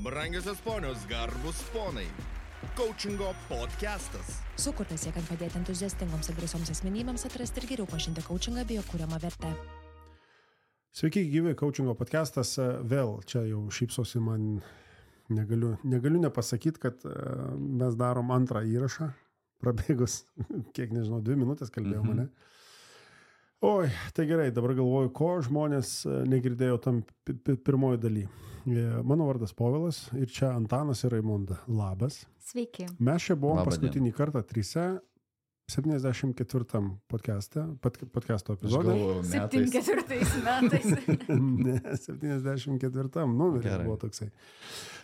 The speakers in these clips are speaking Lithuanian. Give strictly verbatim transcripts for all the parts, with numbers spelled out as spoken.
Brangiosios ponios, garbus ponai. Coachingo podcastas. Sukurtas siekiant padėti entuziastingoms ir drąsioms asmenybėms atrasti ir geriau pažinti coachingą bei jo kuriamą vertę. Sveiki, gyvi, Coachingo podcastas. Vėl čia jau šypsosi man, negaliu, negaliu nepasakyti, kad mes darom antrą įrašą. Prabėgus, kiek nežinau, dvi minutės kalbėjau mm-hmm. mane. Oi, tai gerai, dabar galvoju, ko žmonės negirdėjo tam pirmoji daly. Mano vardas Povilas ir čia Antanas ir Raimonda. Labas. Sveiki. Mes čia buvom Labą paskutinį dieną. kartą trise, septyniasdešimt ketvirtam podcast'e, pod, podcasto epizode. septyniasdešimt ketvirtais metais. Ne, septyniasdešimt ketvirtam numeris buvo toksai.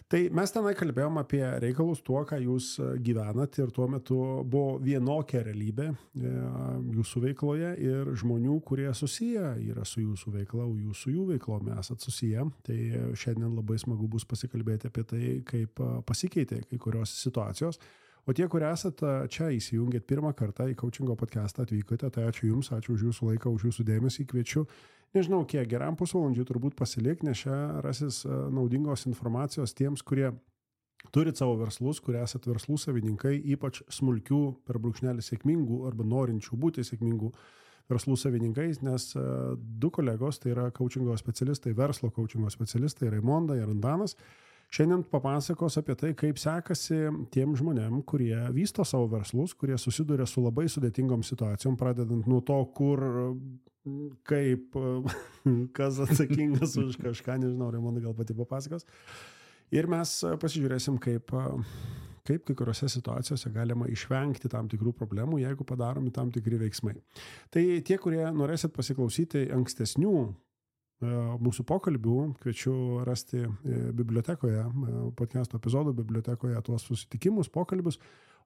Tai mes tenai kalbėjom apie reikalus tuo, ką jūs gyvenat ir tuo metu buvo vienokia realybė jūsų veikloje ir žmonių, kurie susiję yra su jūsų veikla, o jūs su jų veiklomi esat susiję. Tai šiandien labai smagu bus pasikalbėti apie tai, kaip pasikeitė kai kurios situacijos. O tie, kurie esate čia įsijungėt pirmą kartą į Coachingo podcastą, atvykote, tai ačiū Jums, ačiū už Jūsų laiką, už Jūsų dėmesį, kviečiu. Nežinau, kiek geram pusvalandžiui turbūt pasilik, nes čia rasis naudingos informacijos tiems, kurie turit savo verslus, kurie esat verslų savininkai, ypač smulkių per brūkšnelį sėkmingų arba norinčių būti sėkmingų verslų savininkais, nes du kolegos, tai yra coachingo specialistai, verslo coachingo specialistai, Raimonda ir Antanas, šiandien papasakos apie tai, kaip sekasi tiem žmonėm, kurie vysto savo verslus, kurie susiduria su labai sudėtingom situacijom, pradedant nuo to, kur, kaip, kas atsakingas už kažką, nežinau, Raimonda gal pati papasakos. Ir mes pasižiūrėsim, kaip, kaip kai kuriuose situacijose galima išvengti tam tikrų problemų, jeigu padaromi tam tikri veiksmai. Tai tie, kurie norėsit pasiklausyti ankstesnių mūsų pokalbių, kviečiu rasti bibliotekoje, podcast'o epizodų bibliotekoje tuos susitikimus, pokalbius,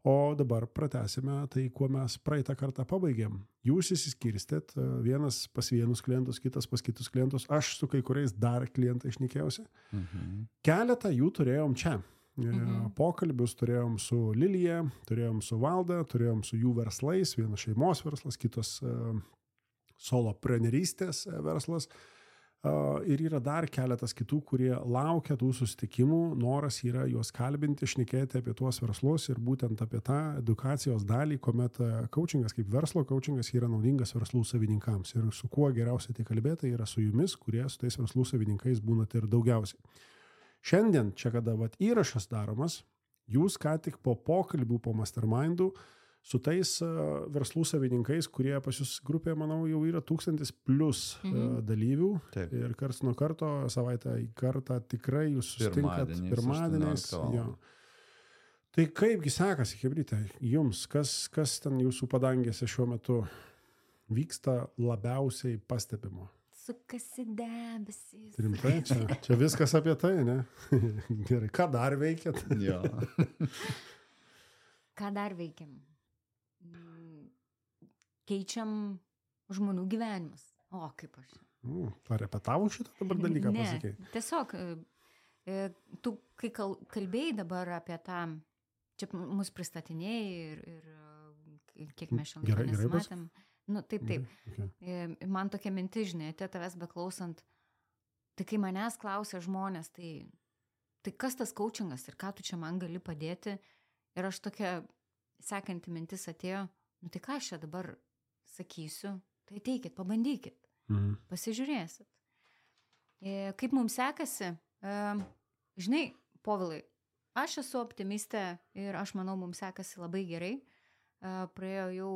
o dabar pratęsime tai, kuo mes praeitą kartą pabaigėm. Jūs įsiskirstėt, vienas pas vienus klientus, kitas pas kitus klientus, aš su kai kuriais dar klientai šnekėjausi. Mhm. Keletą jų turėjom čia. Mhm. Pokalbius turėjom su Lilija, turėjom su Valda, turėjom su jų verslais, vienas šeimos verslas, kitas soloprenerystės verslas. Uh, ir yra dar keletas kitų, kurie laukia tų susitikimų, noras yra juos kalbinti, šnekėti apie tuos verslus ir būtent apie tą edukacijos dalį, kuomet coachingas kaip verslo coachingas yra naudingas verslų savininkams. Ir su kuo geriausiai tai kalbėti yra su jumis, kurie su tais verslų savininkais būnate ir daugiausiai. Šiandien, čia kada vat, įrašas daromas, jūs ką tik po pokalbių, po mastermindų, su tais uh, verslų savininkais, kurie pas jūs grupėje, manau, jau yra tūkstantis plus mhm. uh, dalyvių. Taip. Ir karts nuo karto, savaitę į kartą tikrai jūs susitinkat pirmadieniais. Jo. Tai kaipgi sekasi, chebryte, jums, kas, kas ten jūsų padangėse šiuo metu vyksta labiausiai pastebimo? Sukasi debesys. Rimtai, čia, čia viskas apie tai, ne? Gerai, ką dar veikiat? Jo. Ką dar veikiam? Keičiam žmonių gyvenimus. O, kaip aš. Mm, parepetavau šitą dabar dalyką pasakei? Ne, tiesiog, tu, kai kalbėjai dabar apie tą, čia mus pristatinėjai ir, ir kiek mes šiandien nesimatėm. Nu, taip, taip. Okay. Man tokia mintis, žinai, tavęs beklausant, tai kai manęs klausia žmonės, tai, tai kas tas coachingas ir ką tu čia man gali padėti? Ir aš tokia sekanti mintis atėjo, nu tai ką aš čia dabar sakysiu, tai ateikit, pabandykit, mhm. pasižiūrėsit. E, kaip mums sekasi, e, žinai, Povilai, aš esu optimistė ir aš manau, mums sekasi labai gerai. E, praėjo jau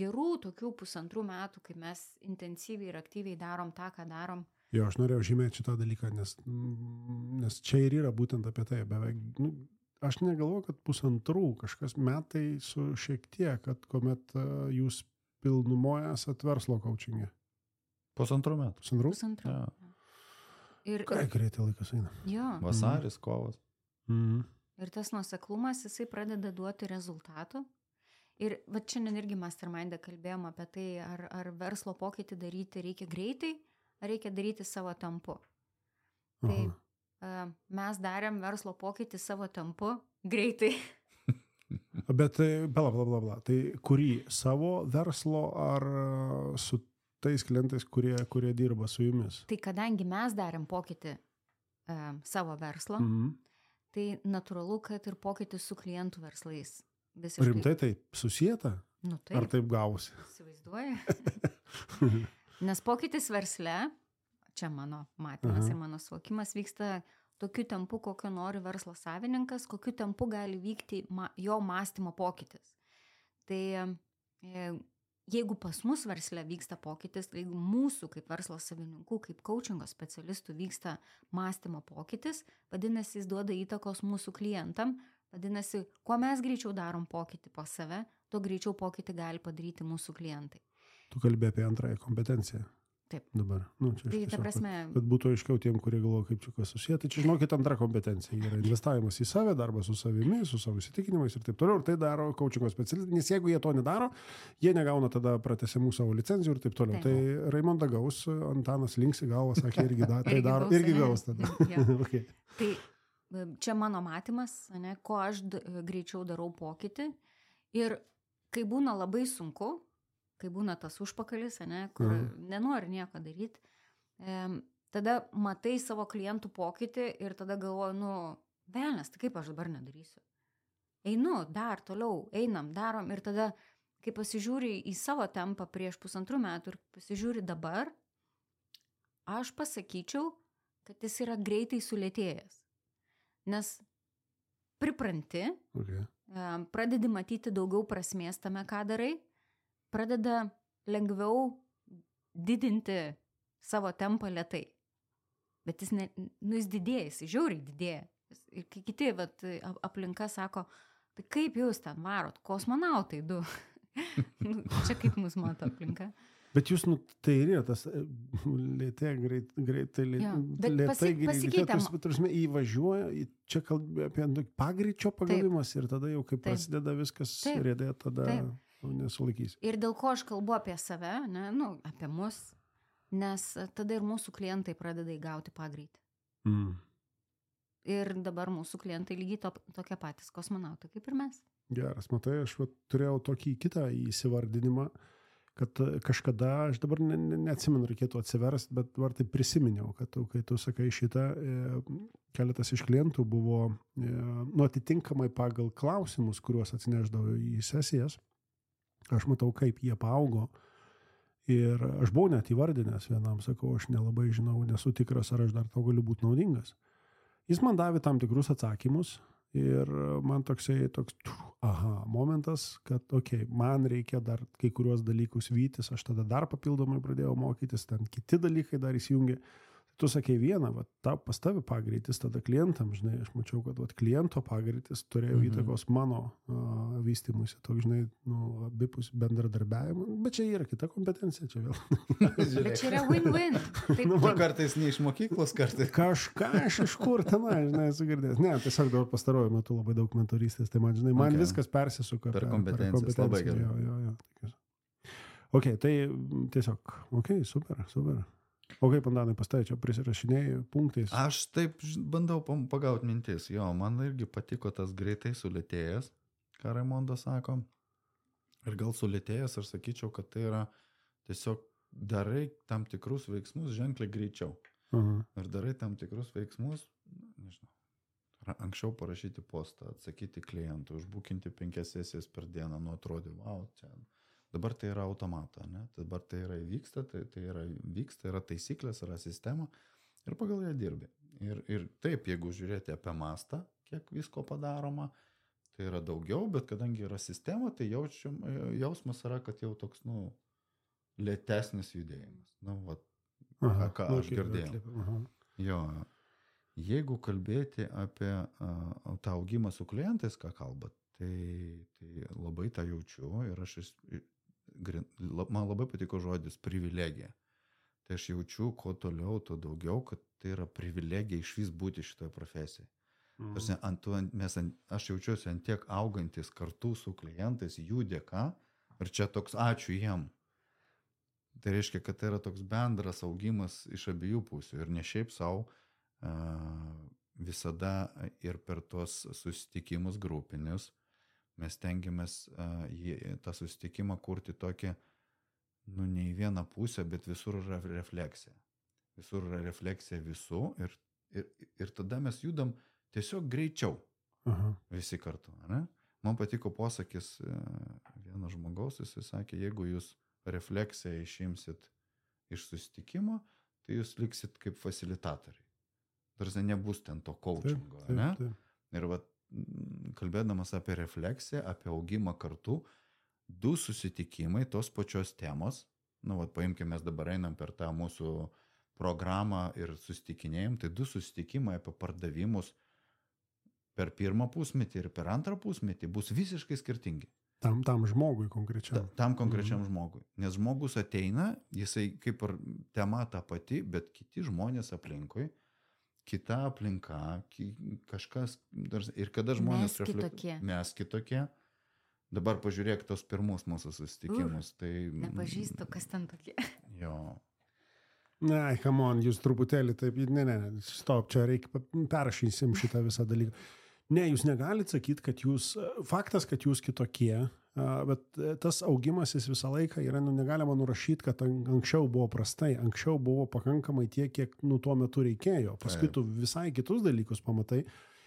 gerų tokių pusantrų metų, kai mes intensyviai ir aktyviai darom tą, ką darom. Jo, aš norėjau žymėti šitą dalyką, nes, nes čia ir yra būtent apie tai, beveik, nu, aš negalvoju, kad pusantrų kažkas metai su šiek tiek, kad kuomet uh, jūs pilnumoje esat verslo coachingė. Pusantrų metų. Pusantrų? Pusantrų. Ja. Ir, Ką greitai laikas eina. Jo. Vasaris, mm. kovas. Mm. Ir tas nuoseklumas, jisai pradeda duoti rezultatų. Ir va šiandien irgi mastermindą kalbėjom apie tai, ar, ar verslo pokytį daryti reikia greitai, ar reikia daryti savo tempu. Tai Aha. mes darėm verslo pokytį savo tempu greitai. Bet tai, bla, bla, bla, bla. Tai kurį savo verslo ar su tais klientais, kurie, kurie dirba su jumis? Tai kadangi mes darėm pokytį uh, savo verslo, mm-hmm. tai natūralu, kad ir pokytis su klientų verslais. Visiškai. Rimtai tai susijęta? Nu, taip. Ar taip gausi? Įsivaizduoju. Nes pokytis versle, čia mano matymas Aha. ir mano suvokimas, vyksta tokiu tempu, kokio nori verslo savininkas, kokiu tempu gali vykti ma, jo mąstymo pokytis. Tai e, jeigu pas mus versle vyksta pokytis, jeigu mūsų kaip verslo savininkų, kaip coachingo specialistų vyksta mąstymo pokytis, vadinasi, jis duoda įtakos mūsų klientam, vadinasi, kuo mes greičiau darom pokytį po save, tuo greičiau pokytį gali padaryti mūsų klientai. Tu kalbė apie antrąją kompetenciją. Taip. Dabar. Nu, čia tai, tiesiog, ta prasme... kad, kad būtų aiškiau tiem, kurie galvoja, kaip čia kas susiję. Tai čia, žinokit, antra kompetencija yra investavimas į save, darbas su savimi, su savo įsitikinimais ir taip toliau. Ir tai daro coachingo specialistai, nes jeigu jie to nedaro, jie negauna tada pratęsimų savo licenzijų ir taip toliau. Taip. Tai Raimonda gaus, Antanas linksi galvą, sakė, irgi, da, tai irgi daro, gaus, irgi gaus tada. Okay. Tai čia mano matymas, ne, ko aš d- greičiau darau pokytį. Ir kai būna labai sunku, kai būna tas užpakalis, ne, kur mhm. nenori nieko daryti, e, tada matai savo klientų pokytį ir tada galvoju, nu, velnės, tai kaip aš dabar nedarysiu. Einu, dar toliau, einam, darom ir tada, kai pasižiūri į savo tempą prieš pusantrų metų ir pasižiūri dabar, aš pasakyčiau, kad jis yra greitai sulėtėjęs. Nes pripranti, okay. e, pradedi matyti daugiau prasmės tame, ką darai, pradeda lengviau didinti savo tempą lėtai. Bet jis, ne, nu, jis didėja, jis žiauriai didėja. Ir kai kiti vat, aplinka sako, tai kaip jūs ten varot, kosmonautai du. Čia kaip mus mato aplinka. Bet jūs, nu, tai yra tas lėtė, greit, greitai, lėtai, pasi, pasikeitėm. Tarsi įvažiuoja, čia kalbė apie pagreičio pagavimas ir tada jau, kai Taip. prasideda viskas rėdė, tada... Taip. Nesulaikys. Ir dėl ko aš kalbu apie save, ne, nu, apie mus, nes tada ir mūsų klientai pradeda įgauti pagreitį. Mm. Ir dabar mūsų klientai lygiai to, tokie patys kosmonautai kaip ir mes. Geras, matai, aš va, turėjau tokį kitą įsivardinimą, kad kažkada, aš dabar ne, ne, neatsimenu, reikėtų atsiversti, bet dabar tai prisiminiau, kad tu, kai tu sakai šitą, e, keletas iš klientų buvo e, nu, atitinkamai pagal klausimus, kuriuos atsineždavo į sesijas. Aš matau, kaip jie paaugo ir aš buvau net įvardinęs vienam, sakau, aš nelabai žinau, nesu tikras, ar aš dar tau galiu būti naudingas. Jis man davė tam tikrus atsakymus ir man toksai, toks, aha, momentas, kad, okei, okay, man reikia dar kai kuriuos dalykus vytis, aš tada dar papildomai pradėjau mokytis, ten kiti dalykai dar įsijungė. Tu sakei vieną, va, ta, pas tavi pagreitis, tada klientam, žinai, aš mačiau, kad va, kliento pagreitis turėjo mhm. įtakos mano uh, vystymuisi, toks, žinai, nu, abipus bendradarbiavimą, bet čia yra kita kompetencija, čia vėl. Bet čia yra win-win. Taip, nu, man kartais ne iš mokyklos, kartais. Kažką aš iš kur tenai, žinai, esu girdėjęs. Ne, tiesiog dabar pastaruoju metu labai daug mentorystės, tai man, žinai, man okay. viskas persisuka. Per kompetencijas, labai gerai. Jo, jo, jo. Ok, tai tiesiog, ok, super, super. O kaip, Antanai, pastai, čia prisirašinėjai punktais? Aš taip bandau pagauti mintis. Jo, man irgi patiko tas greitai sulėtėjęs, ką Raimondas sako. Ir gal sulėtėjęs, aš sakyčiau, kad tai yra tiesiog darai tam tikrus veiksmus ženkliai greičiau. Uh-huh. Ir darai tam tikrus veiksmus, nežinau, anksčiau parašyti postą, atsakyti klientų, užbukinti penkias sesijas per dieną, nu atrodė, wow, čia... Dabar tai yra automata, ne? Dabar tai yra vyksta, tai, tai yra vyksta, yra taisyklės, yra sistema ir pagal ją dirbi. Ir, ir taip, jeigu žiūrėti apie mastą, kiek visko padaroma, tai yra daugiau, bet kadangi yra sistema, tai jaučiam, jausmas yra, kad jau toks, nu, lėtesnis judėjimas. Nu, va, aha, ką aš girdėjau. Aha. Jo, jeigu kalbėti apie uh, tą augimą su klientais, ką kalbat, tai, tai labai tą jaučiu ir aš man labai patiko žodis privilegija. Tai aš jaučiu, kuo toliau, tuo daugiau, kad tai yra privilegija iš vis būti šitoje profesijoje. Mm. Tarsi, ant, ant, mes, ant, aš jaučiuosi ant tiek augantis kartu su klientais jų dėka ir čia toks ačiū jiem. Tai reiškia, kad tai yra toks bendras augimas iš abiejų pusių ir ne šiaip savo uh, visada ir per tuos susitikimus grupinius mes tengiamės uh, jį, tą susitikimą kurti tokį, nu, ne į vieną pusę, bet visur yra refleksija. Visur yra refleksija visų ir, ir, ir tada mes judam tiesiog greičiau. Aha. Visi kartu, ne? Man patiko posakis vienas žmogaus, jis sakė, jeigu jūs refleksiją išimsit iš susitikimo, tai jūs liksit kaip fasilitatoriai. Tarsi nebus ten to coachingo, taip, taip, ne? Taip. Ir va, kalbėdamas apie refleksiją, apie augimą kartu, du susitikimai tos pačios temos, nu, va, paimkime, mes dabar einam per tą mūsų programą ir susitikinėjom, tai du susitikimai apie pardavimus per pirmą pusmetį ir per antrą pusmetį bus visiškai skirtingi. Tam, tam žmogui konkrečiam. Ta, tam konkrečiam mhm. žmogui. Nes žmogus ateina, jisai kaip ir tema ta pati, bet kiti žmonės aplinkui, kita aplinka, kažkas, ir kada žmonės... Mes kitokie. Mes kitokie. Dabar pažiūrėk tos pirmus mūsų susitikimus. Uh, tai... Nepažįstu, kas ten tokie. Jo. Ne, come on, jūs truputėlį taip, ne, ne, stop, čia reikia, perrašysim šitą visą dalyką. Ne, jūs negalite sakyti, kad jūs, faktas, kad jūs kitokie, bet tas augimas jis visą laiką yra, nu, negalima nurašyti, kad anksčiau buvo prastai, anksčiau buvo pakankamai tiek, kiek nu, tuo metu reikėjo, paskui tu visai kitus dalykus pamatai.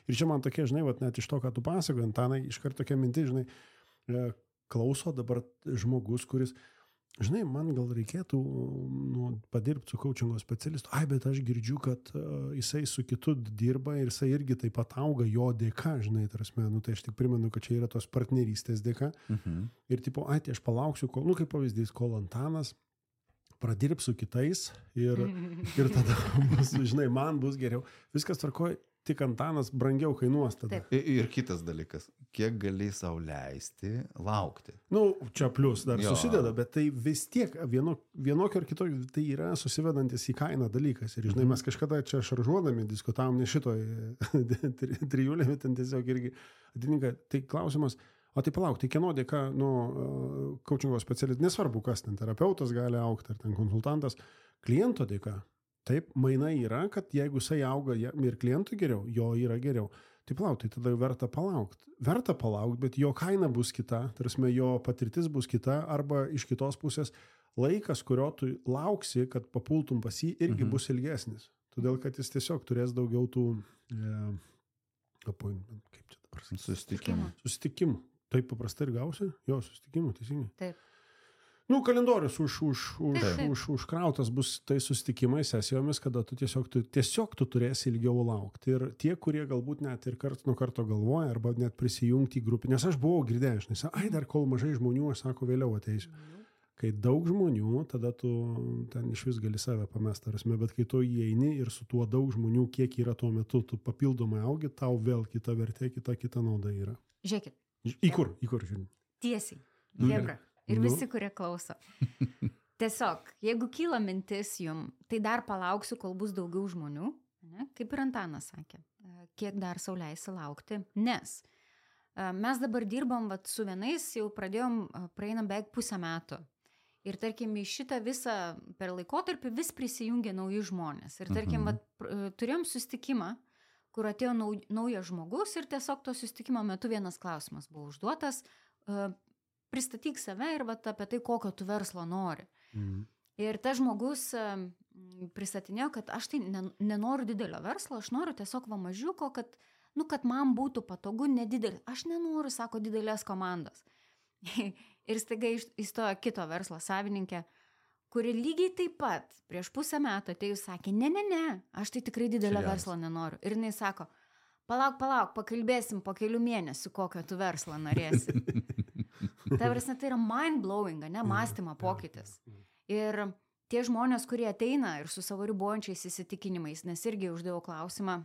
Ir čia man tokie, žinai, vat, net iš to, ką tu pasakoji, Antanai, iškart tokia mintis, žinai, klauso dabar žmogus, kuris, žinai, man gal reikėtų nu, padirbti su coachingo specialistu. Ai, bet aš girdžiu, kad uh, jisai su kitu dirba ir jisai irgi taip pat auga jo dėka, žinai, tarasme, nu, tai aš tik primenu, kad čia yra tos partnerystės dėka. Mhm. Ir tipo, ai, tai aš palauksiu, kol, nu, kaip pavyzdys, kol Antanas pradirbs su kitais ir, ir tada bus, žinai, man bus geriau. Viskas tvarkoja. Tik Antanas brangiau kainuos tada. Ir, ir kitas dalykas, kiek gali sau leisti laukti. Nu, čia plius dar jo. Susideda, bet tai vis tiek vieno, vienokio ar kitokio, tai yra susivedantis į kainą dalykas. Ir žinai, mes kažkada čia šaržuodami diskutavom ne šitoj trijulė, bet ten tiesiog irgi atitinka. Tai klausimas, o tai palauk, tai kieno dėka, nu, coachingo specialistas, nesvarbu kas ten, terapeutas gali augti, ar ten konsultantas, kliento dėka. Taip, mainai yra, kad jeigu jisai auga ir klientui geriau, jo yra geriau. Tai palauk, tai tada verta palaukti. Verta palaukti, bet jo kaina bus kita, tarsi jo patirtis bus kita, arba iš kitos pusės laikas, kurio tu lauksi, kad papultum pas jį, irgi mhm. bus ilgesnis. Todėl, kad jis tiesiog turės daugiau tų e, appointment, kaip čia dabar sakyti? Susitikimų. Susitikimų. Taip paprastai ir gausi? Jo, susitikimų, teisingai. Taip. Nu, kalendorius už, už, už, už, užkrautas bus tai susitikimai, sesijomis, kada tu tiesiog, tu tiesiog tu turėsi ilgiau laukti. Ir tie, kurie galbūt net ir kart nuo karto galvoja, arba net prisijungti į grupį, nes aš buvau girdėjęs, nes, ai, dar kol mažai žmonių, aš sako, vėliau ateisiu. Kai daug žmonių, tada tu ten iš vis gali save pamest, arasme, bet kai tu įeini ir su tuo daug žmonių, kiek yra tuo metu, tu papildomai augi, tau vėl kita vertė, kita, kita nauda yra. Žiūrėkit. Į kur, į kur žiūrėkit? Tiesiai. Hebra. Ir visi, kurie klauso. Tiesiog, jeigu kyla mintis jum, tai dar palauksiu, kol bus daugiau žmonių, ne? Kaip ir Antanas sakė, kiek dar sau leisi laukti, nes mes dabar dirbam vat, su vienais, jau pradėjom, praeinam beveik pusę metų. Ir tarkim, į šitą visą per laikotarpį vis prisijungia nauji žmonės. Ir tarkim, vat, turėjom susitikimą, kur atėjo nau, naujas žmogus ir tiesiog to susitikimo metu vienas klausimas buvo užduotas, pristatyk save ir vat, apie tai, kokio tu verslo nori. Mhm. Ir tas žmogus pristatinėjo, kad aš tai nenoriu didelio verslo, aš noriu tiesiog va mažiuko, kad, nu, kad man būtų patogu nedidelį. Aš nenoriu, sako, didelės komandos. Ir staiga įstojo kito verslo savininkė, kuri lygiai taip pat prieš pusę metų atėjus sakė, ne, ne, ne, aš tai tikrai didelio Čia verslo nenoriu. Ir jinai sako, palauk, palauk, pakalbėsim po kelių mėnesių, kokio tu verslo norėsi. Ta prasme, tai yra mind-blowing, ne, mąstymo pokytis. Ir tie žmonės, kurie ateina ir su savo ribojančiais įsitikinimais, nes irgi uždėjau klausimą,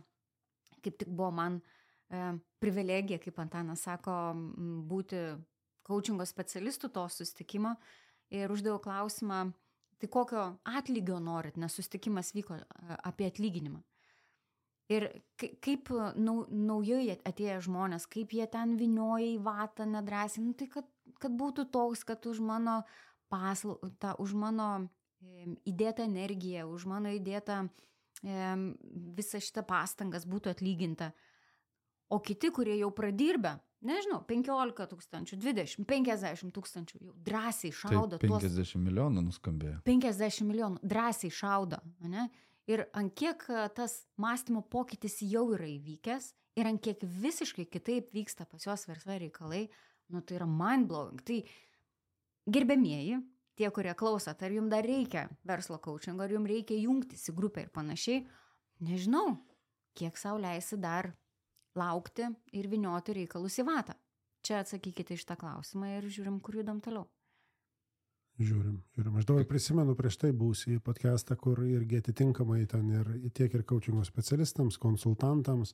kaip tik buvo man e, privilegija, kaip Antanas sako, būti coachingo specialistų to susitikimo, ir uždėjau klausimą, tai kokio atlygio norit, nes susitikimas vyko apie atlyginimą. Ir kaip nau, naujai atėję žmonės, kaip jie ten vinioja į vatą nedrąsiai, nu, tai kad, kad būtų toks, kad už mano paslaugą, už mano e, įdėtą energiją, už mano įdėtą e, visą šitą pastangas būtų atlyginta. O kiti, kurie jau pradirbę, nežinau, penkiolika tūkstančių, dvidešimt, penkiasdešimt tūkstančių, jau drąsiai šaudo. Tai penkiasdešimt tuos, milijonų nuskambėjo. penkiasdešimt milijonų drąsiai šaudo, ne? ir ant kiek tas mąstymo pokytis jau yra įvykęs ir ant kiek visiškai kitaip vyksta pas juos versle reikalai, nu tai yra mind-blowing. Tai gerbėmieji, tie, kurie klausot, ar jums dar reikia verslo coachingo, ar jums reikia jungtis į grupę ir panašiai, nežinau, kiek sau leisi dar laukti ir vynioti reikalus į vatą. Čia atsakykite iš tą klausimą ir žiūrim, kur judam toliau. Žiūrim, žiūrim. Aš dabar prisimenu prieš tai būsį podcastą, kur irgi atitinkamai ten ir tiek ir coachingo specialistams, konsultantams,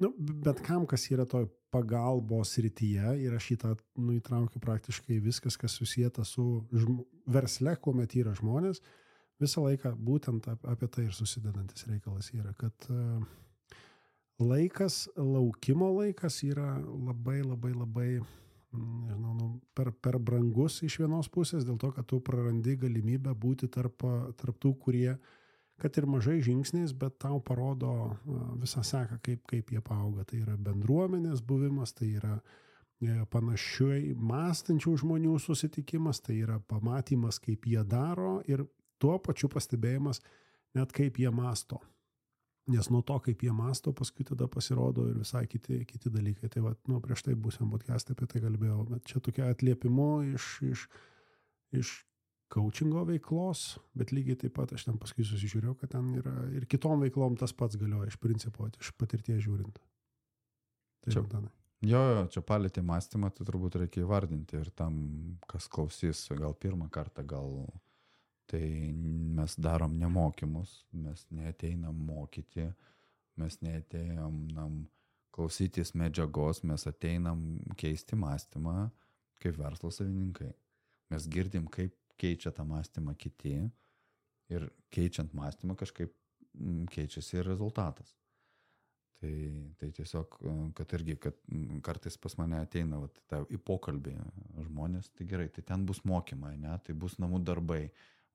nu, bet kam, kas yra toj pagalbos srityje, ir aš šitą nu, įtraukiu praktiškai viskas, kas susijęta su žm... versle, kuomet yra žmonės, visą laiką būtent apie tai ir susidedantis reikalas yra, kad uh, laikas, laukimo laikas yra labai, labai, labai, nežinau, nu, per, per brangus iš vienos pusės, dėl to, kad tu prarandi galimybę būti tarp, tarp tų, kurie, kad ir mažai žingsniais, bet tau parodo visą seką, kaip, kaip jie paauga. Tai yra bendruomenės buvimas, tai yra panašiai mąstančių žmonių susitikimas, tai yra pamatymas, kaip jie daro ir tuo pačiu pastebėjimas, net kaip jie mąsto. Nes nuo to, kaip jie mąsto, paskui tada pasirodo ir visai kiti, kiti dalykai. Tai va, nu, prieš tai būsim podcast'e apie tai kalbėjau, bet čia tokia atliepimu iš, iš, iš coachingo veiklos, bet lygiai taip pat aš ten paskui susižiūrėjau, kad ten yra ir kitom veiklom tas pats galioja iš principo, iš patirties žiūrint. Tai čia, jau, jo, jo, čia palėtė mąstymą, tai turbūt reikia įvardinti ir tam, kas klausys gal pirmą kartą, gal tai mes darom nemokymus, mes neateinam mokyti, mes neateinam nam, klausytis medžiagos, mes ateinam keisti mąstymą kaip verslo savininkai. Mes girdim, kaip keičia tą mąstymą kiti ir keičiant mąstymą kažkaip keičiasi ir rezultatas. Tai, tai tiesiog, kad irgi, kad kartais pas mane ateina vat, ta, į pokalbį žmonės, tai gerai, tai ten bus mokymai, ne, tai bus namų darbai.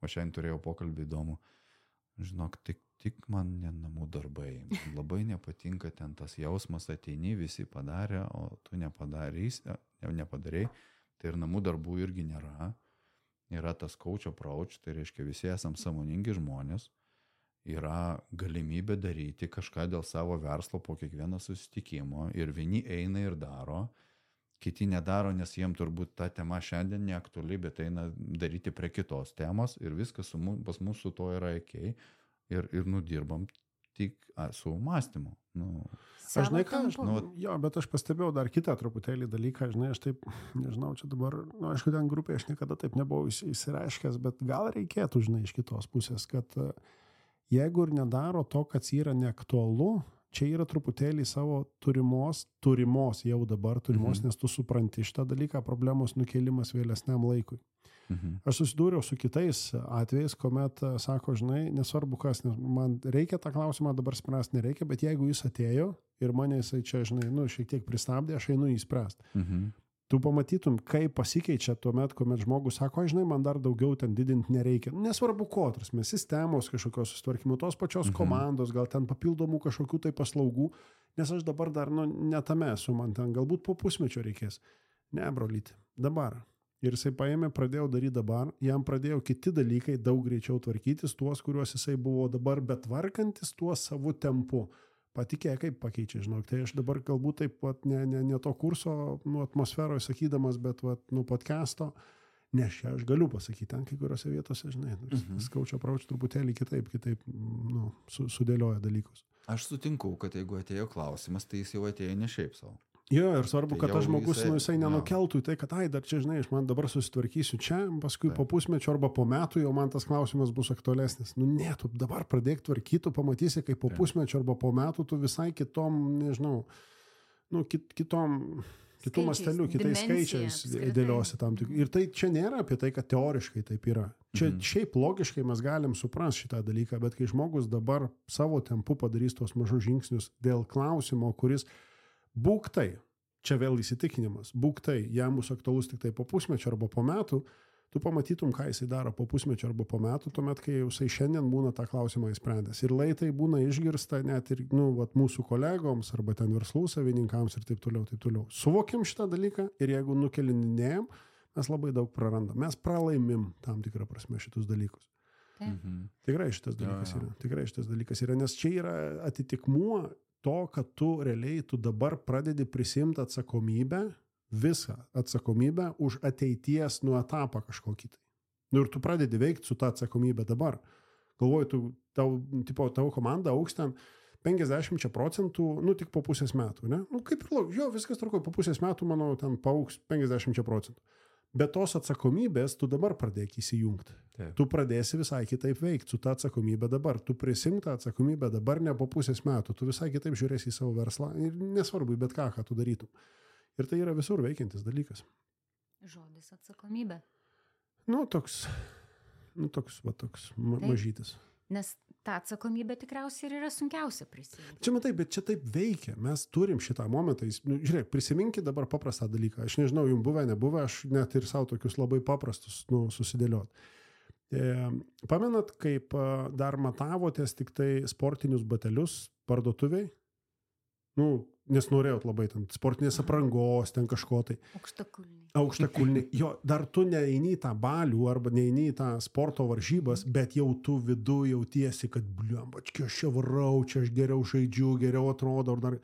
O šiandien turėjau pokalbį įdomų. Žinok, tik, tik man ne namų darbai. Man labai nepatinka ten tas jausmas, ateini, visi padarė, o tu nepadarys, nepadarei. Tai ir namų darbų irgi nėra. Yra tas coach approach, tai reiškia visi esam sąmoningi žmonės. Yra galimybė daryti kažką dėl savo verslo po kiekvieno susitikimo. Ir vieni eina ir daro. Kiti nedaro, nes jiem turbūt ta tema šiandien neaktuali, bet eina daryti prie kitos temos ir viskas su, pas mūsų to yra okei. Ir, ir nudirbam tik a, su mąstymu. Nu, aš žinai ką, aš, nu, jo, bet aš pastebėjau dar kitą truputėlį dalyką, žinai, aš taip, nežinau, čia dabar, nu, aišku, ten grupėje aš niekada taip nebuvau įsireiškęs, bet gal reikėtų, žinai, iš kitos pusės, kad jeigu ir nedaro to, kas yra neaktualu, čia yra truputėlį savo turimos, turimos jau dabar turimos, mhm. nes tu supranti šitą dalyką, problemos nukėlimas vėlesniam laikui. Mhm. Aš susidūriau su kitais atvejais, kuomet sako, žinai, nesvarbu kas, nes man reikia tą klausimą dabar spręsti, nereikia, bet jeigu jis atėjo ir mane jisai čia, žinai, nu, šiek tiek pristabdė, aš einu jį spręsti. Mhm. Tu pamatytum, kaip pasikeičia tuomet, kuomet žmogus sako, žinai, man dar daugiau ten didinti nereikia. Nesvarbu ko, mes sistemos kažkokios susitvarkymų, tos pačios mhm. komandos, gal ten papildomų kažkokių tai paslaugų, nes aš dabar dar, nu, netame esu, man ten galbūt po pusmečio reikės. Ne, brolyti, dabar. Ir jisai paėmė, pradėjo daryti dabar, jam pradėjo kiti dalykai daug greičiau tvarkytis, tuos, kuriuos jisai buvo dabar, bet tvarkantis tuo savo tempu. Patikė, kaip pakeičia, žinok. Tai aš dabar galbūt taip pat ne, ne, ne to kurso nu, atmosferoje sakydamas, bet vat, nu, podcast'o, nes čia aš galiu pasakyti, ten kai kuriuose vietose, žinai, mhm. skaučio prauč truputėlį kitaip, kitaip nu, su, sudėlioja dalykus. Aš sutinku, kad jeigu atėjo klausimas, tai jis jau atėjo ne šiaip savo. Jo, ir svarbu, tai kad tas žmogus, jisai, nu, jisai nenukeltų į tai, kad, ai, dar čia, žinai, aš man dabar susitvarkysiu čia, paskui tai. Po pusmečio arba po metų jau man tas klausimas bus aktualesnis. Nu, ne, tu dabar pradėk tvarkyti, tu pamatysi, kaip po tai. pusmečio arba po metų tu visai kitom, nežinau, nu, kit, kitom, kitų mastelių, kitais skaičiais dėliosi tam tik. Ir tai čia nėra apie tai, kad teoriškai taip yra. Čia mhm. šiaip logiškai mes galim suprasti šitą dalyką, bet kai žmogus dabar savo tempu padarys tos mažus žingsnius dėl klausimo, kuris būk tai, čia vėl įsitikinimas, būk tai, jam bus aktualus tik tai po pusmečio arba po metų, tu pamatytum, ką jisai daro po pusmečio arba po metų, tuomet, kai jisai šiandien būna tą klausimą įsprendęs. Ir laitai būna išgirsta net ir nu, vat, mūsų kolegoms arba ten verslų savininkams ir taip toliau, taip toliau. Suvokiam šitą dalyką ir jeigu nukelinėjom, mes labai daug prarandam. Mes pralaimim tam tikrą prasme šitus dalykus. Mhm. Tikrai šitas dalykas ja, ja. yra. Tikrai šitas dalykas yra, nes čia yra atitikmuo to, kad tu realiai, tu dabar pradedi prisimti atsakomybę, visą atsakomybę už ateities nu etapą kažkokį tai. Nu ir tu pradedi veikti su ta atsakomybė dabar. Galvoju, tu, tau, tipo, tavo komanda augs ten penkiasdešimt procentų, nu tik po pusės metų, ne? Nu kaip ir, jo, viskas truko, po pusės metų, manau, ten paaugs penkiasdešimt procentų. Bet tos atsakomybės tu dabar pradėk įsijungti. Taip. Tu pradėsi visai kitaip veikti su ta atsakomybė dabar. Tu prisimk tą atsakomybę dabar, ne po pusės metų. Tu visai kitaip žiūrėsi į savo verslą ir nesvarbu, bet ką, ką tu darytum. Ir tai yra visur veikiantis dalykas. Žodis atsakomybė. Nu, toks, nu, toks, va, toks ma mažytis. Nes ta atsakomybė tikriausiai ir yra sunkiausia prisiminti. Čia matai, bet čia taip veikia. Mes turim šitą momentą. Nu, žiūrėk, prisiminkit dabar paprastą dalyką. Aš nežinau, jums buvę, nebuvę, aš net ir savo tokius labai paprastus nu, susidėliot. E, pamenat, kaip dar matavotės tik tai sportinius batelius parduotuviai? Nu, nes norėjot labai ten sportinės aprangos, ten kažko tai. Aukštakulniai. Aukštakulniai. Jo, dar tu neini į tą balių arba neini į tą sporto varžybas, bet jau tu vidu jautiesi, kad bliam, bački, aš čia varau, čia aš geriau žaidžiu, geriau atrodo. Dar...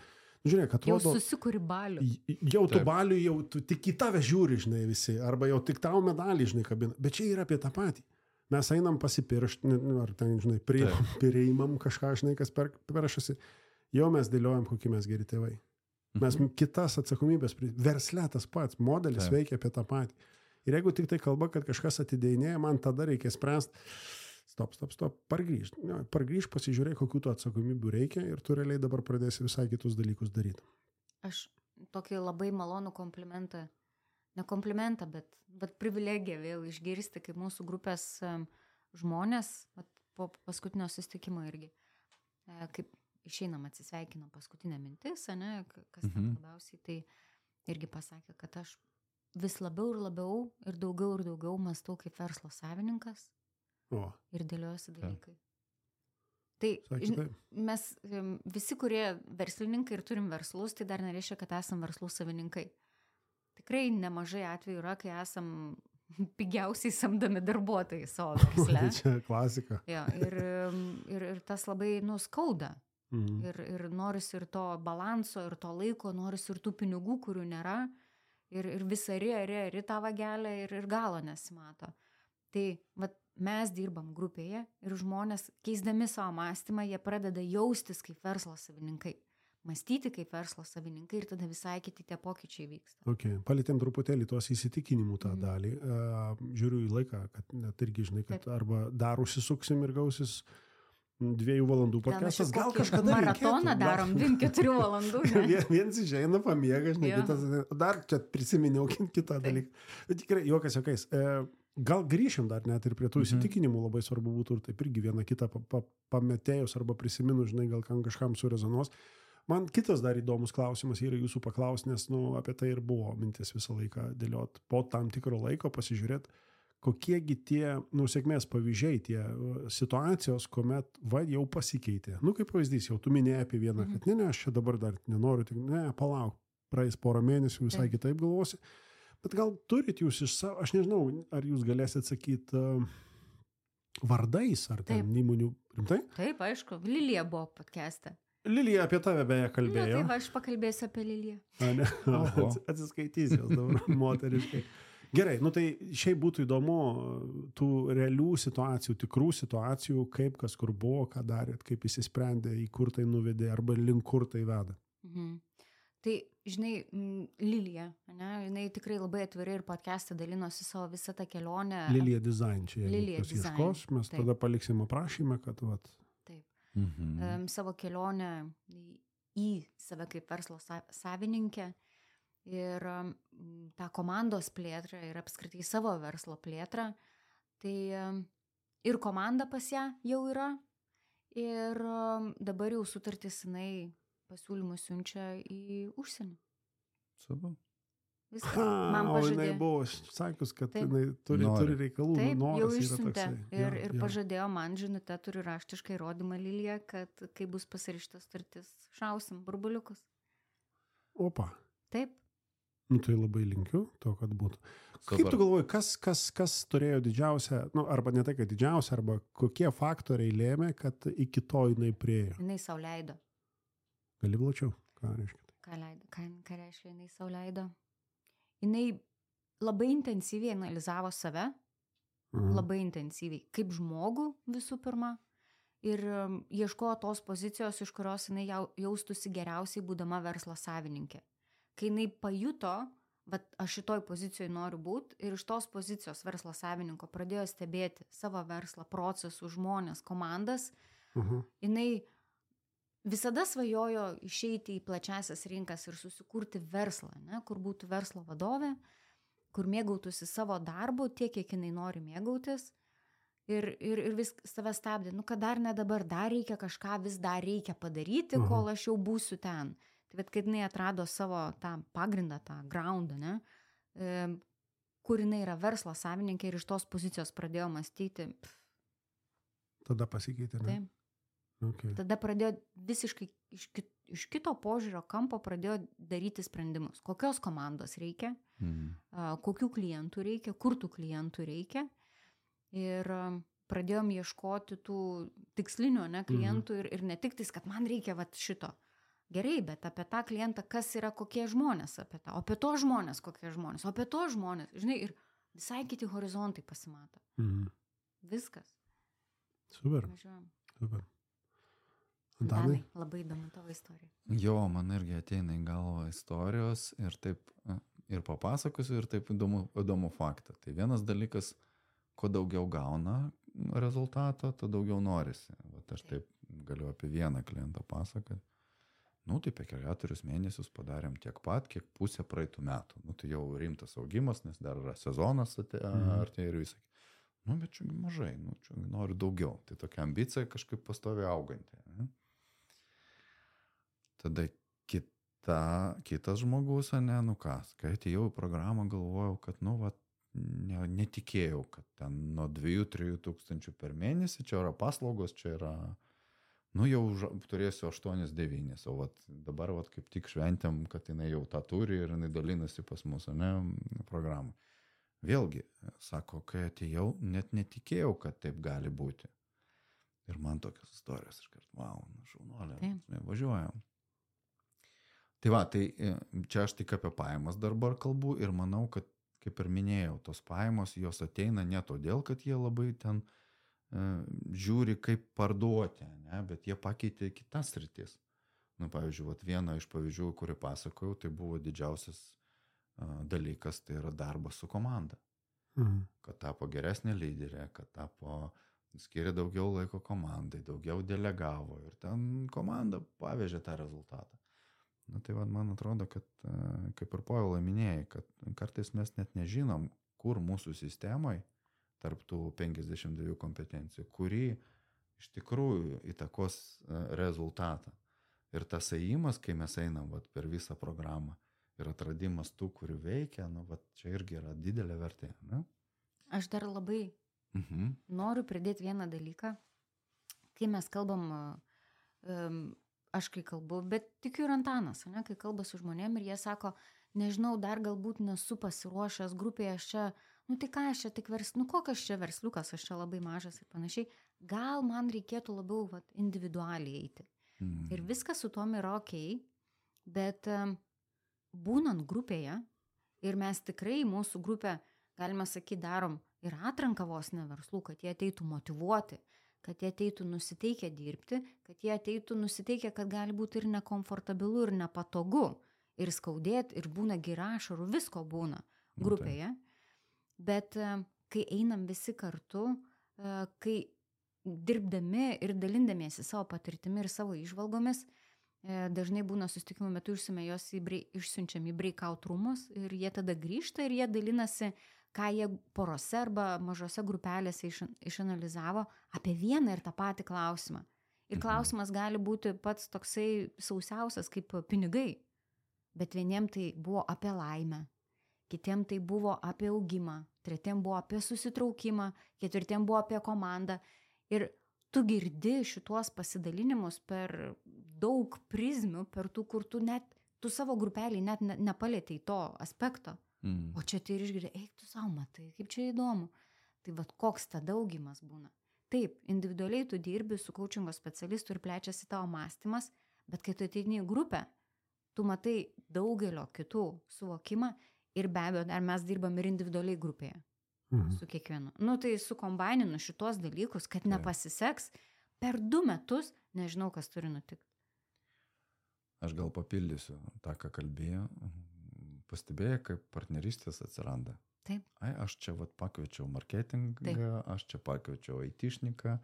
Žiūrėk, atrodo... Jau susikuri balių. Jau tu balių, jau tu tik į tave žiūri, žinai, visi. Arba jau tik tau medalį, žinai, kabina. Bet čia yra apie tą patį. Mes einam pasipiršti, ar ten, žinai, priimam kažką, žinai, kas per, peršasi. Jau mes dėliojam, kokie mes geri tėvai. Mes mhm. kitas atsakomybės, versle tas pats, modelis Taip. Veikia apie tą patį. Ir jeigu tik tai kalba, kad kažkas atidėjinėja, man tada reikia spręsti, stop, stop, stop, pargrįžt. Pargrįžt, pasižiūrėk, kokių tų atsakomybių reikia ir tu realiai dabar pradėsi visai kitus dalykus daryti. Aš tokį labai malonų komplimentą, ne komplimentą, bet, bet privilegiją vėl išgirsti, kaip mūsų grupės um, žmonės, po paskutinio susitikimo irgi, kaip išeinam atsisveikinam paskutinę mintis, ne, kas mhm. tam labiausiai, tai irgi pasakė, kad aš vis labiau ir labiau ir daugiau ir daugiau mąstau kaip verslo savininkas o. Ir dėliojasi dalykai. Tai Sakė, mes visi, kurie verslininkai ir turim verslus, tai dar nereiškia, kad esam verslų savininkai. Tikrai nemažai atvejų yra, kai esam pigiausiai samdomi darbuotojai savo versle. Čia klasika. Jo, ir, ir, ir tas labai nuskauda. Mhm. Ir, ir norisi ir to balanso, ir to laiko, norisi ir tų pinigų, kurių nėra, ir, ir visą ri, ri, ri tą vagelę ir, ir galo nesimato. Tai vat, mes dirbam grupėje ir žmonės, keisdami savo mąstymą, jie pradeda jaustis kaip verslo savininkai, mąstyti kaip verslo savininkai ir tada visai kiti tie pokyčiai vyksta. Okay. Palietėm truputėlį tuos įsitikinimų tą mhm. dalį. Uh, žiūriu į laiką, kad net irgi žinai, kad Taip. Arba dar užsisuksim ir gausis dviejų valandų podcastas, gal kažkada maratoną darom, dviem keturių valandų. Viens išeina, pamiega, žinai, kitas, dar čia prisiminiau kitą dalyką. Bet tikrai, juokas juokais, gal grįšim dar net ir prie tų mhm. įsitikinimų, labai svarbu būtų ir taip irgi vieną kitą pa, pa, pametėjus arba prisiminus, žinai, gal kažkam surezonuos. Man kitas dar įdomus klausimas yra jūsų paklaus, nes nu, apie tai ir buvo mintis visą laiką dėliot po tam tikro laiko, pasižiūrėti, kokiegi tie nu, sėkmės pavyzdžiai, tie situacijos, kuomet va, jau pasikeitė. Nu, kaip pavyzdys, jau tu minėjai apie vieną, kad ne, ne, aš čia dabar dar nenoriu, tik, ne, palauk, praeis porą mėnesių, visai Taip. Kitaip galvosi. Bet gal turit jūs iš savo, aš nežinau, ar jūs galėsit sakyti uh, vardais, ar ten Taip. Įmonių, rimtai? Taip, aišku, Lilija buvo podcast'e. Lilija apie tave beje kalbėjo. Nu, taip, aš pakalbėsiu apie Liliją. A, ne, atsiskaitys jos dabar moteriškai. Gerai, nu tai šiaip būtų įdomu tų realių situacijų, tikrų situacijų, kaip kas kur buvo, ką darėt, kaip įsisprendė, į kur tai nuvedė arba link kur tai veda. Mhm. Tai, žinai, Lilija, ne, jinai tikrai labai atvirai ir podcast'e dalinosi savo visą tą kelionę. Lilija Design, čia jeigu kas ieškos, mes Taip. Tada paliksim aprašymą, kad vat. Taip. Mhm. Um, savo kelionę į save kaip verslo savininkę. Ir um, tą komandos plėtrą ir apskritai savo verslo plėtrą, tai um, ir komanda pas ją jau yra, ir um, dabar jau sutartis jinai pasiūlymus siunčia į užsienį. Savo. Viskas. Man pažadėjo. O jinai buvo sakius, kad Taip. Jinai turi, turi reikalų. Taip, jau išsiuntė. Ir, ja, ir ja. Pažadėjo man, žinute, turi raštiškai įrodymą Lilija, kad kai bus pasirašytas sutartis, šausim burbuliukus. Opa. Taip. Nu, tai labai linkiu to, kad būtų. Super. Kaip tu galvoji, kas, kas, kas turėjo didžiausią, nu, arba ne tai, kad didžiausią, arba kokie faktoriai lėmė, kad iki to jinai priejo? Jinai sau leido. Gali plačiau, ką reiškia? Ką, leido, ką, ką reiškia, jinai sau leido? Jinai labai intensyviai analizavo save, mhm. labai intensyviai, kaip žmogų visų pirma, ir um, ieškojo tos pozicijos, iš kurios jinai jau, jaustųsi geriausiai būdama verslo savininkė. Kai jinai pajuto, bet aš šitoj pozicijoje noriu būti, ir iš tos pozicijos verslo savininko pradėjo stebėti savo verslą, procesų, žmonės, komandas, uh-huh. jinai visada svajojo išeiti į plačiasias rinkas ir susikurti verslą, ne, kur būtų verslo vadovė, kur mėgautųsi savo darbu tiek, kiek jinai nori mėgautis, ir, ir, ir vis save stabdė, nu, kad dar ne dabar, dar reikia kažką, vis dar reikia padaryti, uh-huh. kol aš jau būsiu ten. Tai bet kai jinai atrado savo tą pagrindą, tą groundą, ne, e, kur jinai yra verslo savininkė ir iš tos pozicijos pradėjo mąstyti. Pff. Tada pasikeitė, ne? Taip. Okay. Tada pradėjo visiškai iš, kit, iš kito požiūrio kampo pradėjo daryti sprendimus. Kokios komandos reikia, mhm. a, kokių klientų reikia, kur tų klientų reikia. Ir a, pradėjom ieškoti tų tikslinių, ne, klientų mhm. ir, ir ne tik tais, kad man reikia vat šito. Gerai, bet apie tą klientą, kas yra kokie žmonės apie tą, o apie to žmonės kokie žmonės, o apie to žmonės, žinai, ir visai kiti horizontai pasimato. Mhm. Viskas. Super. Važiuojam. Super. Danai, labai įdomu tavo istorija. Jo, man irgi ateina į galvą istorijos ir taip, ir papasakosiu, ir taip įdomu, įdomu faktą. Tai vienas dalykas, kuo daugiau gauna rezultato, to daugiau norisi. Vat aš taip galiu apie vieną klientą pasakoti. Nu, tai per keturis mėnesius padarėm tiek pat, kiek pusę praeitų metų. Nu, tai jau rimtas augimas, nes dar yra sezonas artėja ir visai. Nu, bet čia mažai, nu, čia noriu daugiau. Tai tokia ambicija kažkaip pastoviai auganti. Ne? Tada kita, kitas žmogus, ne, nu kas, kai atėjau į programą, galvojau, kad, nu, va, ne, netikėjau, kad ten nuo dviejų trijų tūkstančių per mėnesį, čia yra paslaugos, čia yra... Nu, jau turėsiu aštuonis devynis, o vat, dabar vat, kaip tik šventėm, kad jinai jau tą turi ir jinai dalinasi pas mus, ne, programą. Vėlgi, sako, kai atėjau, net netikėjau, kad taip gali būti. Ir man tokios istorijos, iškart, wow, šaunuolė, važiuojam. Tai va, tai čia aš tik apie pajamas dabar kalbu ir manau, kad, kaip ir minėjau, tos pajamos, jos ateina ne todėl, kad jie labai ten žiūri, kaip parduoti, ne? Bet jie pakeitė kitas sritis. Nu, pavyzdžiui, vat vieną iš pavyzdžių, kurį pasakojau, tai buvo didžiausias uh, dalykas, tai yra darbas su komanda. Mhm. Kad tapo geresnė lyderė, kad tapo, skiria daugiau laiko komandai, daugiau delegavo ir ten komanda pavežė tą rezultatą. Nu, tai vat, man atrodo, kad, uh, kaip ir Povilai minėjai, kad kartais mes net nežinom, kur mūsų sistemai tarp tų penkiasdešimt dviejų kompetencijų, kuri iš tikrųjų įtakos rezultatą. Ir tas ėjimas, kai mes einam vat, per visą programą ir atradimas tų, kurių veikia, nu, vat, čia irgi yra didelė vertė. Ne? Aš dar labai mhm. noriu pridėti vieną dalyką. Kai mes kalbam, um, aš kai kalbu, bet tikiu ir Antanas, ne, kai kalba su žmonėm ir jie sako, nežinau, dar galbūt nesu pasiruošęs grupėje, aš čia nu tai ką aš čia tik vers, nu kokias čia versliukas, aš čia labai mažas ir panašiai, gal man reikėtų labiau vat, individualiai eiti. Mm. Ir viskas su tom yra okei, bet um, būnant grupėje, ir mes tikrai mūsų grupę, galima sakyti, darom ir atranką vos ne verslų, kad jie ateitų motyvuoti, kad jie ateitų nusiteikę dirbti, kad jie ateitų nusiteikę, kad gali būti ir nekomfortabilu, ir nepatogu, ir skaudėti, ir būna girašarų, visko būna grupėje. Okay. Bet kai einam visi kartu, kai dirbdami ir dalindamiesi savo patirtimi ir savo įžvalgomis, dažnai būna susitikimo metu išsiuntėme jos į, išsiunčiam į breakout rūmus ir jie tada grįžta ir jie dalinasi, ką jie porose arba mažose grupelėse iš, išanalizavo apie vieną ir tą patį klausimą. Ir klausimas gali būti pats toksai sausiausias kaip pinigai, bet vieniem tai buvo apie laimę. Kitiem tai buvo apie augimą, tretiem buvo apie susitraukimą, ketvirtiem buvo apie komandą. Ir tu girdi šituos pasidalinimus per daug prizmių, per tų, kur tu net, tu savo grupelį net ne, nepalėtei to aspekto, Mm. o čia tai ir išgirdai, eik tu savo matai, kaip čia įdomu. Tai vat koks tada augimas būna. Taip, individualiai tu dirbi su coachingo specialistu ir plečiasi tavo mąstymas, bet kai tu ateini į grupę, tu matai daugelio kitų suvokimą ir be abejo, dar mes dirbam ir individualiai grupėje Mhm. su kiekvienu. Nu tai sukombaininu šitos dalykus, kad nepasiseks per du metus, nežinau, kas turi nutikti. Aš gal papildysiu tą, ką kalbėjau. Pastebėjai, kaip partnerystės atsiranda. Taip. Ai, aš čia vat pakviečiau marketingą, Taip. aš čia pakviečiau aitišniką.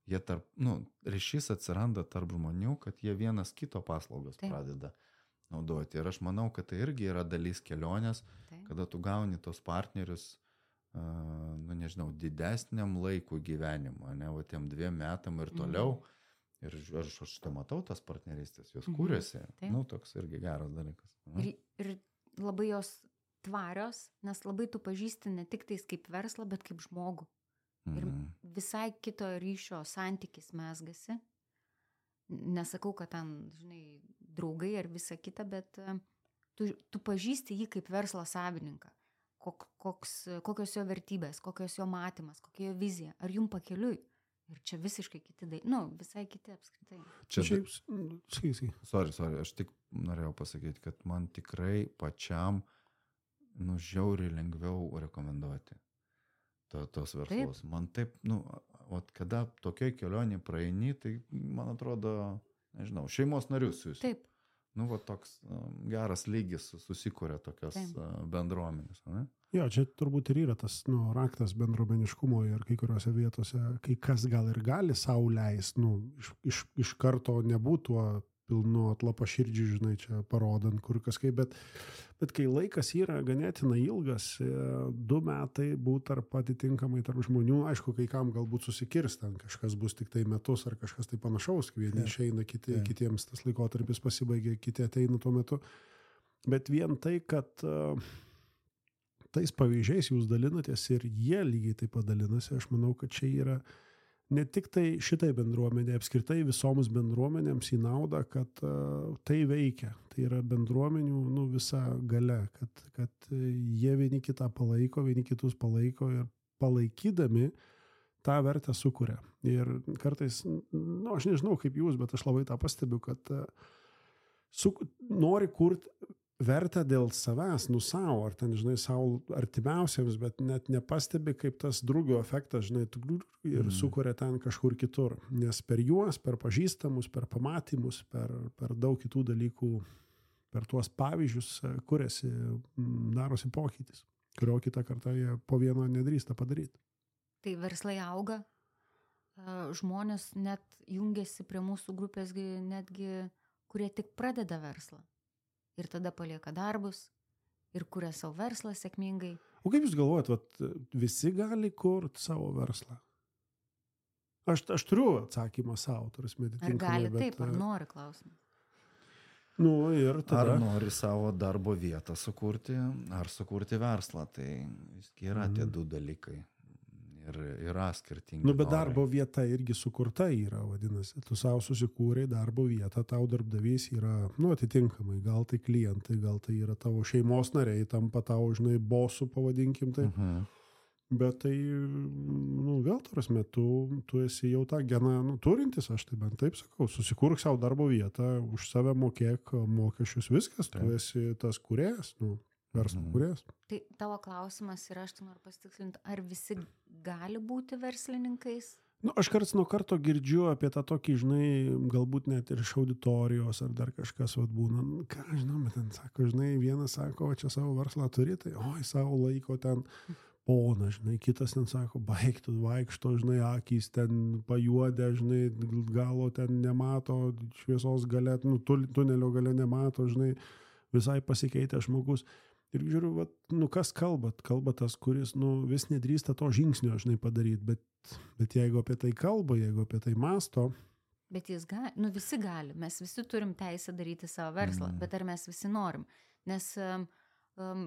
Jie tarp, nu, ryšys atsiranda tarp žmonių, kad jie vienas kito paslaugas Taip. pradeda naudoti. Ir aš manau, kad tai irgi yra dalis kelionės, Taip. kada tu gauni tos partnerius, uh, nu nežinau, didesniam laikui gyvenimo, ne, va tiem dviem metam ir toliau. Mhm. Ir aš, aš tai matau tas partnerystės, jos Mhm. kūrėsi. Taip. Nu, toks irgi geras dalykas. Ir, ir labai jos tvarios, nes labai tu pažįsti ne tik tais kaip verslą, bet kaip žmogų. Ir Mhm. visai kito ryšio santykis mesgasi. Nesakau, kad ten, žinai, draugai ar visa kita, bet e, tu, tu pažįsti jį kaip verslo savininką. Kok, koks, kokios jo vertybės, kokios jo matymas, kokia jo vizija. Ar jum pakeliui? Ir čia visiškai kiti dalykai. Nu, visai kiti apskritai. Čia, Šiaip, sakai, sakai. sorry, sorry, aš tik norėjau pasakyti, kad man tikrai pačiam, nu, žiauriai lengviau rekomenduoti to, tos verslus. Taip. Man taip, nu, vat, kada tokioj kelionė praeini, tai, man atrodo, nežinau, šeimos narius jūs. Taip. Nu, va toks um, geras lygis susikūrė tokios uh, bendruomenės, ne? Jo, čia turbūt ir yra tas nu, raktas bendruomeniškumo ir kai kuriuose vietose, kai kas gal ir gali sau leist, nu, iš, iš, iš karto nebūtų tuo pilnu atlapaširdžiu, žinai, čia parodant kur kažkaip, bet, bet kai laikas yra ganėtinai ilgas, du metai būt tarp atitinkamai tarp žmonių, aišku, kai kam galbūt susikirs, ten kažkas bus tik tai metus ar kažkas tai panašaus, vieni ja. išeina, kiti, ja. kitiems tas laikotarpis pasibaigia, kiti ateina tuo metu, bet vien tai, kad uh, tais pavyzdžiais jūs dalinatės ir jie lygiai taip pat dalinasi, aš manau, kad čia yra ne tik tai šitai bendruomenė, apskritai visoms bendruomenėms į naudą, kad uh, tai veikia. Tai yra bendruomenių nu, visa gale, kad, kad jie vieni kitą palaiko, vieni kitus palaiko ir palaikydami tą vertę sukuria. Ir kartais, nu, aš nežinau kaip jūs, bet aš labai tą pastebiu, kad uh, su, nori kurti vertę dėl savęs, nu savo, ar ten, žinai, savo artimiausiams, bet net nepastebi, kaip tas drugio efektas, žinai, ir mm. sukuria ten kažkur kitur. Nes per juos, per pažįstamus, per pamatymus, per, per daug kitų dalykų, per tuos pavyzdžius kuriasi, darosi pokytis, kurio kitą kartą jie po vieno nedrįsta padaryti. Tai verslai auga, žmonės net jungiasi prie mūsų grupės netgi, kurie tik pradeda verslą. Ir tada palieka darbus ir kuria savo verslą sėkmingai. O kaip jūs galvojat, vat, visi gali kurti savo verslą? Aš, aš turiu atsakymą savo, turis meditinkamai. Ar gali bet, taip, ar nori klausimas? Nu, ir tada... Ar nori savo darbo vietą sukurti, ar sukurti verslą, tai yra mm. tie du dalykai. Ir yra skirtingi. Nu, bet norai. Darbo vieta irgi sukurta yra, vadinasi. Tu savo susikūrei darbo vietą, tau darbdavys yra, nu, atitinkamai, gal tai klientai, gal tai yra tavo šeimos nariai, tampa tau, žinai, bosų, pavadinkim tai. Uh-huh. Bet tai, nu, vėl tarsi metu, tu esi jau tą geną, nu, turintis, aš tai bent taip sakau, susikurk savo darbo vietą, už save mokėk mokesčius, viskas, taip. Tu esi tas kūrėjas, nu. Verslo kūrėjas. Tai tavo klausimas yra, aš tai noriu pasitikslinti, ar visi gali būti verslininkais? Nu, aš karts nuo karto girdžiu apie tą tokį, žinai, galbūt net ir iš auditorijos ar dar kažkas vat būna. Nu, ką, žinoma, ten sako, žinai, vienas sako, o čia savo verslą turi, tai oi, savo laiko ten pona, žinai, kitas ten sako, baigtų, vaikšto, žinai, akys ten pajuodę, žinai, galo ten nemato, šviesos gale, nu, tunelio gale nemato, žinai, visai pasikeitė žmogus. Ir žiūriu, vat, nu kas kalbat, kalba tas, kuris nu, vis nedrįsta to žingsnio, žinai, padaryti, bet, bet jeigu apie tai kalba, jeigu apie tai masto. Bet jis gali, nu visi gali, mes visi turim teisę daryti savo verslą, mm. bet ar mes visi norim? Nes um, um,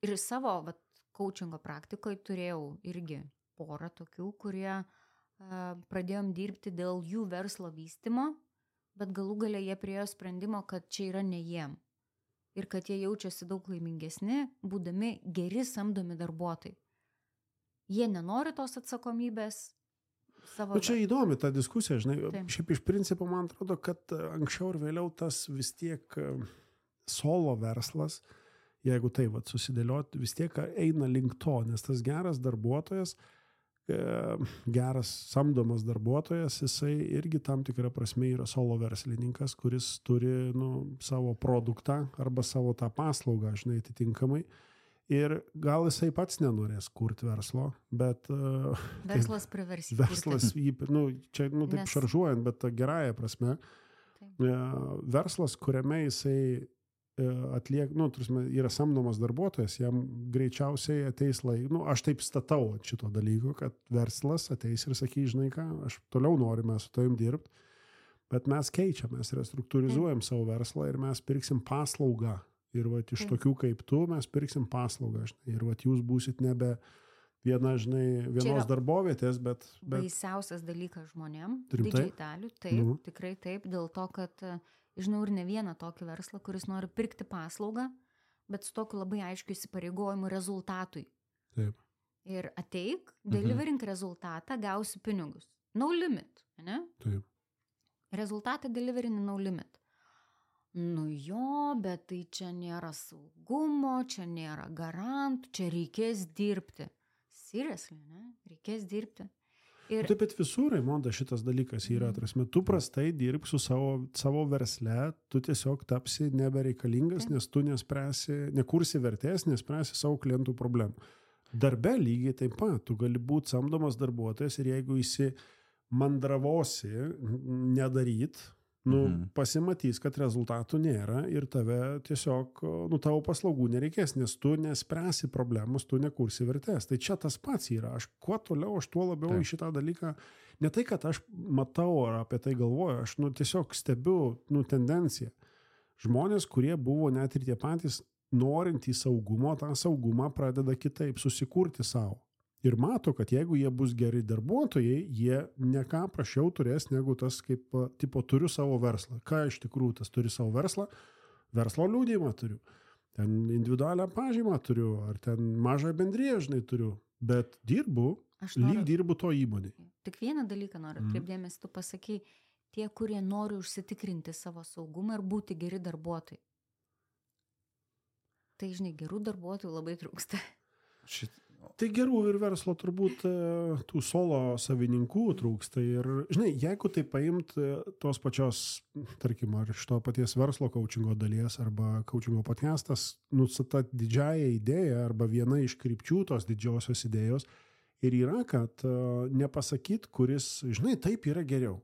ir savo vat, coachingo praktikoje turėjau irgi porą tokių, kurie uh, pradėjom dirbti dėl jų verslo vystymo, bet galų gale jie priėjo sprendimo, kad čia yra ne jiem. ir kad jie jaučiasi daug laimingesni, būdami geri samdomi darbuotojai. Jie nenori tos atsakomybės savo... O čia įdomi ta diskusija, žinai, Taip. Šiaip iš principo man atrodo, kad anksčiau ir vėliau tas vis tiek solo verslas, jeigu tai vat susidėliot, vis tiek eina link to, nes tas geras darbuotojas, geras samdomas darbuotojas, jisai irgi tam tikrą prasme yra solo verslininkas, kuris turi nu, savo produktą arba savo tą paslaugą, žinai, atitinkamai. Ir gal jisai pats nenorės kurti verslo, bet... Verslas priversi. Verslas, jį, nu, čia nu, taip Nes... šaržuojant, bet gerąją prasme. Taip. Verslas, kuriame jisai atliek, nu, turime, yra samdomas darbuotojas, jam greičiausiai ateis laik, nu, aš taip statau ant šito dalyko, kad verslas ateis ir sakys, žinai ką, aš toliau norime su tavim dirbti, bet mes keičiam, mes restruktūrizuojam savo verslą ir mes pirksim paslaugą. Ir vat iš tokių kaip tu mes pirksim paslaugą, žinai, ir vat jūs būsit nebe viena, žinai, vienos darbovietės, bet... bet... Baisiausias dalykas žmonėm, didžiai dalių, taip, nu. Tikrai taip, dėl to, kad žinau ir ne vieną tokį verslą, kuris nori pirkti paslaugą, bet su tokiu labai aiškiu įsipareigojimu rezultatui. Taip. Ir ateik, deliverink mhm. rezultatą, gausi pinigus. No limit, ne? Taip. Rezultatą deliverini no limit. Nu jo, bet tai čia nėra saugumo, čia nėra garantų, čia reikės dirbti. Seriously, ne? Reikės dirbti. Ir... Taip, bet visur, Raimonda, šitas dalykas yra, atrasme, tu prastai dirbk su savo, savo versle, tu tiesiog tapsi nebereikalingas, Taip. Nes tu nespręsi, nekursi vertės, nespręsi savo klientų problemų. Darbe lygiai taip pat, tu gali būti samdomas darbuotojas ir jeigu įsi mandravosi nedaryt, nu, mhm. pasimatys, kad rezultatų nėra ir tave tiesiog, nu, tavo paslaugų nereikės, nes tu nespręsi problemus, tu nekursi vertės. Tai čia tas pats yra. Aš kuo toliau, aš tuo labiau Taip. Į šitą dalyką, ne tai, kad aš matau ar apie tai galvoju, aš nu, tiesiog stebiu nu, tendenciją. Žmonės, kurie buvo net ir tie patys norintys saugumo, tą saugumą pradeda kitaip susikurti savo. Ir mato, kad jeigu jie bus geri darbuotojai, jie ne ką prašiau turės negu tas, kaip, tipo, turiu savo verslą. Ką iš tikrųjų tas turi savo verslą? Verslo liudijimą turiu. Ten individualią pažymą turiu, ar ten mažą bendriją, žinai, turiu. Bet dirbu, noriu, lyg dirbu to įmonėje. Tik vieną dalyką noriu atkreipdėmės, tu pasakai, tie, kurie nori užsitikrinti savo saugumą ir būti geri darbuotojai. Tai, žinai, gerų darbuotojų labai trūksta. Šit... Tai gerų ir verslo turbūt tų solo savininkų trūksta ir, žinai, jeigu tai paimt tos pačios, tarkim, ar iš to paties verslo coachingo dalies arba coachingo podcastas, nu, su ta didžiaja idėja arba viena iš krypčių tos didžiosios idėjos ir yra, kad nepasakyt, kuris, žinai, taip yra geriau.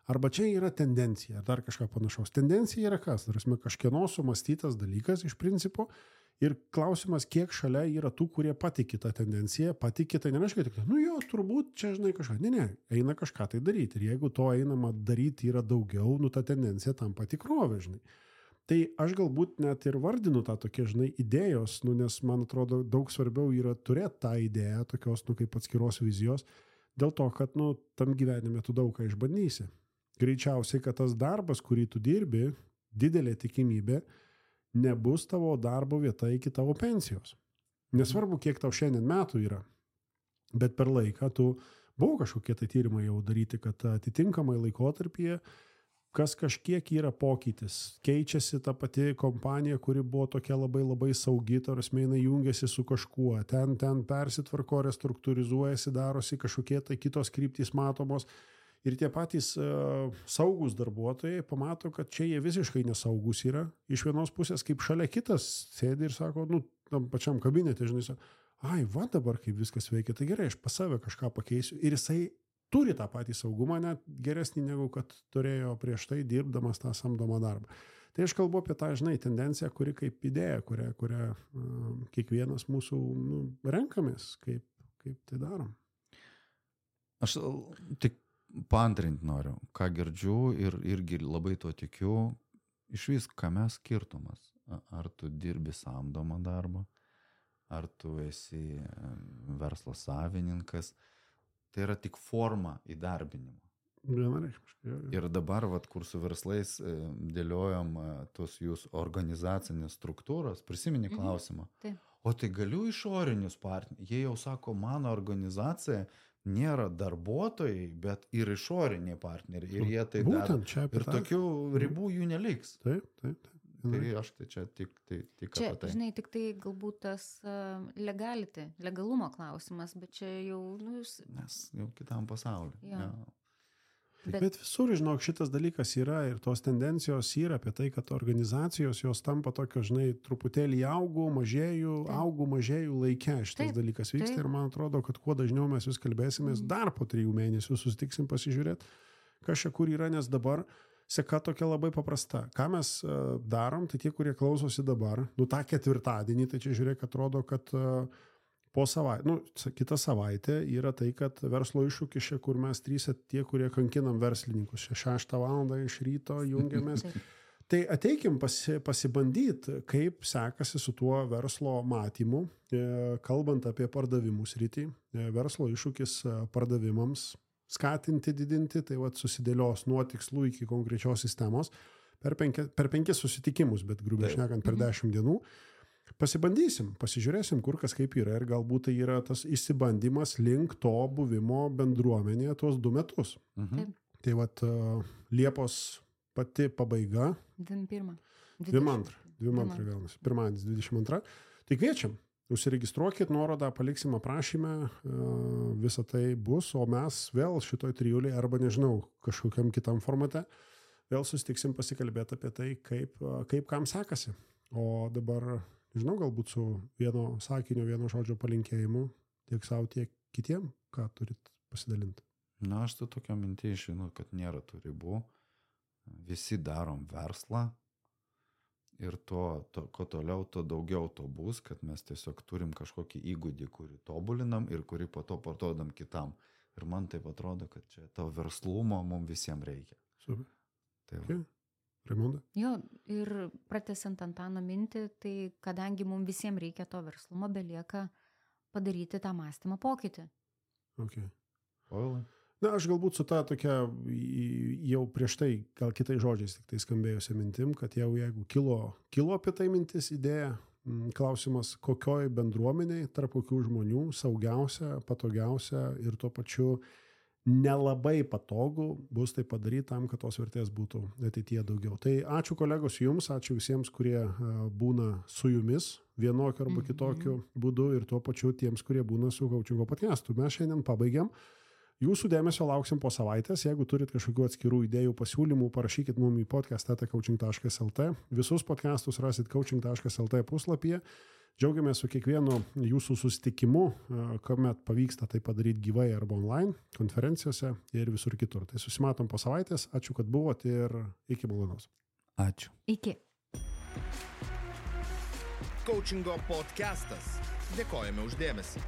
Arba čia yra tendencija, ar dar kažką panašaus. Tendencija yra kas? Tarsi kažkieno sumastytas dalykas iš principo. Ir klausimas, kiek šalia yra tų, kurie patiki tą tendenciją, patiki, tai nereiškia tik, nu jo, turbūt čia, žinai, kažką. Ne, ne, eina kažką tai daryti. Ir jeigu to einama daryti yra daugiau, nu ta tendencija tampa tikrovė, žinai. Tai aš galbūt net ir vardinu tą tokie, žinai, idėjos, nu, nes man atrodo daug svarbiau yra turėti tą idėją, tokios, nu, kaip atskiros vizijos, dėl to, kad, nu, tam gyvenime tu daug ką išbandysi. Greičiausiai, kad tas darbas, kurį tu dirbi, didelė tikimybė, nebus tavo darbo vieta iki tavo pensijos. Nesvarbu, kiek tau šiandien metų yra, bet per laiką tu buvo kažkokie tai tyrimai jau daryti, kad atitinkamai laikotarpyje kas kažkiek yra pokytis. Keičiasi ta pati kompanija, kuri buvo tokia labai labai saugi, tarsi jinai jungiasi su kažkuo, ten, ten persitvarko, restruktūrizuojasi, darosi kažkokie tai kitos kryptys matomos. Ir tie patys uh, saugus darbuotojai pamato, kad čia jie visiškai nesaugus yra. Iš vienos pusės, kaip šalia kitas sėdi ir sako, nu, tam pačiam kabinete, žinai, sako, ai, va dabar kaip viskas veikia, tai gerai, aš pas save kažką pakeisiu. Ir jisai turi tą patį saugumą, net geresnį negu kad turėjo prieš tai dirbdamas tą samdomą darbą. Tai aš kalbu apie tą, žinai, tendenciją, kuri kaip idėja, kurią, kurią uh, kiekvienas mūsų nu, renkamės, kaip, kaip tai darom. Aš tik paantrinti noriu, ką girdžiu ir irgi labai tuo tikiu, iš vis, kame skirtumas. Ar tu dirbi samdomą darbą, ar tu esi verslo savininkas, tai yra tik forma įdarbinimo. Vienareikšmiškai. Ir dabar, vat, kur su verslais dėliojam tos jūsų organizacinės struktūros, prisimeni klausimą. Mhm. Taip. O tai galiu išorinius partnerius. Jie jau sako, mano organizacija nėra darbuotojai, bet ir išoriniai partneriai. Ir jie tai Būtent, daro. Ir tokių ribų jų neliks. Taip, taip, taip. Tai aš tai čia tik, tai, tik čia, apie tai. Žinai, tik tai galbūt tas uh, legality, legalumo klausimas, bet čia jau... Nu, jūs... Nes jau kitam pasauliu. Ja. Ja. Bet, bet visur, žinok, šitas dalykas yra ir tos tendencijos yra apie tai, kad organizacijos jos tampa tokio, žinai, truputėlį augų, mažėjų, taip. augų, mažėjų laike šitas taip. dalykas vyksta taip. Ir man atrodo, kad kuo dažniau mes vis kalbėsimės, mm. dar po trijų mėnesių susitiksim pasižiūrėti, kas čia kur yra, nes dabar seka tokia labai paprasta. Ką mes uh, darom, tai tie, kurie klausosi dabar, nu tą ketvirtadienį, tai čia žiūrėk, atrodo, kad uh, po savaitę, nu, kita savaitė yra tai, kad verslo iššūkis, kur mes trys, tie, kurie kankinam verslininkus, šeštą valandą iš ryto jungiamės. Tai ateikim pasi, pasibandyti, kaip sekasi su tuo verslo matymu, e, kalbant apie pardavimų sritį, e, verslo iššūkis pardavimams, skatinti, didinti, tai vat susidėlios nuo tikslų iki konkrečios sistemos per, penki, per penkis susitikimus, bet grubiai šnekant per dešimt dienų. Pasibandysim, pasižiūrėsim, kur kas kaip yra ir galbūt tai yra tas išsibandymas link to buvimo bendruomenėje tuos du metus. Mhm. Tai vat Liepos pati pabaiga. dvidešimt pirmą. dvidešimt antrą. dvidešimt antrą gaunasi. Pirmadienis dvidešimt antrą. Tai kviečiam. Užsiregistruokit, nuorodą paliksim aprašyme, visą tai bus, o mes vėl šitoj trijulėje arba nežinau, kažkokiam kitam formate vėl susitiksim pasikalbėti apie tai, kaip, kaip kam sekasi. O dabar, žinau, galbūt su vieno sakinio, vieno žodžio palinkėjimu tiek savo, tiek kitiem, ką turit pasidalinti. Na, aš tu tokia mintį žinau, kad nėra tų ribų. Visi darom verslą. Ir to, to, ko toliau, to daugiau to bus, kad mes tiesiog turim kažkokį įgūdį, kurį tobulinam ir kurį po to parduodam kitam. Ir man taip atrodo, kad čia to verslumo mums visiems reikia. Super. Tai okay. Raimonda? Jo, ir pratęsiant Antano mintį, tai kadangi mums visiems reikia to verslumo, belieka padaryti tą mąstymą pokytį. Okay. Oilai. Na, aš galbūt su ta tokia jau prieš tai, gal kitais žodžiais tik tai skambėjusia mintim, kad jau jeigu kilo, kilo apie tai mintis idėja, klausimas, kokioj bendruomeniai, tarp kokių žmonių saugiausia, patogiausia ir tuo pačiu nelabai patogu bus tai padaryti tam, kad tos vertės būtų ateityje daugiau. Tai ačiū kolegos jums, ačiū visiems, kurie būna su jumis vienokiu arba kitokiu būdu ir tuo pačiu tiems, kurie būna su Coachingo podcastu. Mes šiandien pabaigiam. Jūsų dėmesio lauksim po savaitės. Jeigu turit kažkokių atskirų idėjų, pasiūlymų, parašykit mum į podcast eta coaching taškas lt. Visus podcastus rasit coaching taškas lt puslapyje. Džiaugiamės su kiekvienu jūsų susitikimu, kuomet pavyksta tai padaryti gyvai arba online, konferencijose ir visur kitur. Tai susimatom po savaitės. Ačiū, kad buvot ir iki malonaus. Ačiū. Iki. Coachingo podcastas. Dėkojame už dėmesį.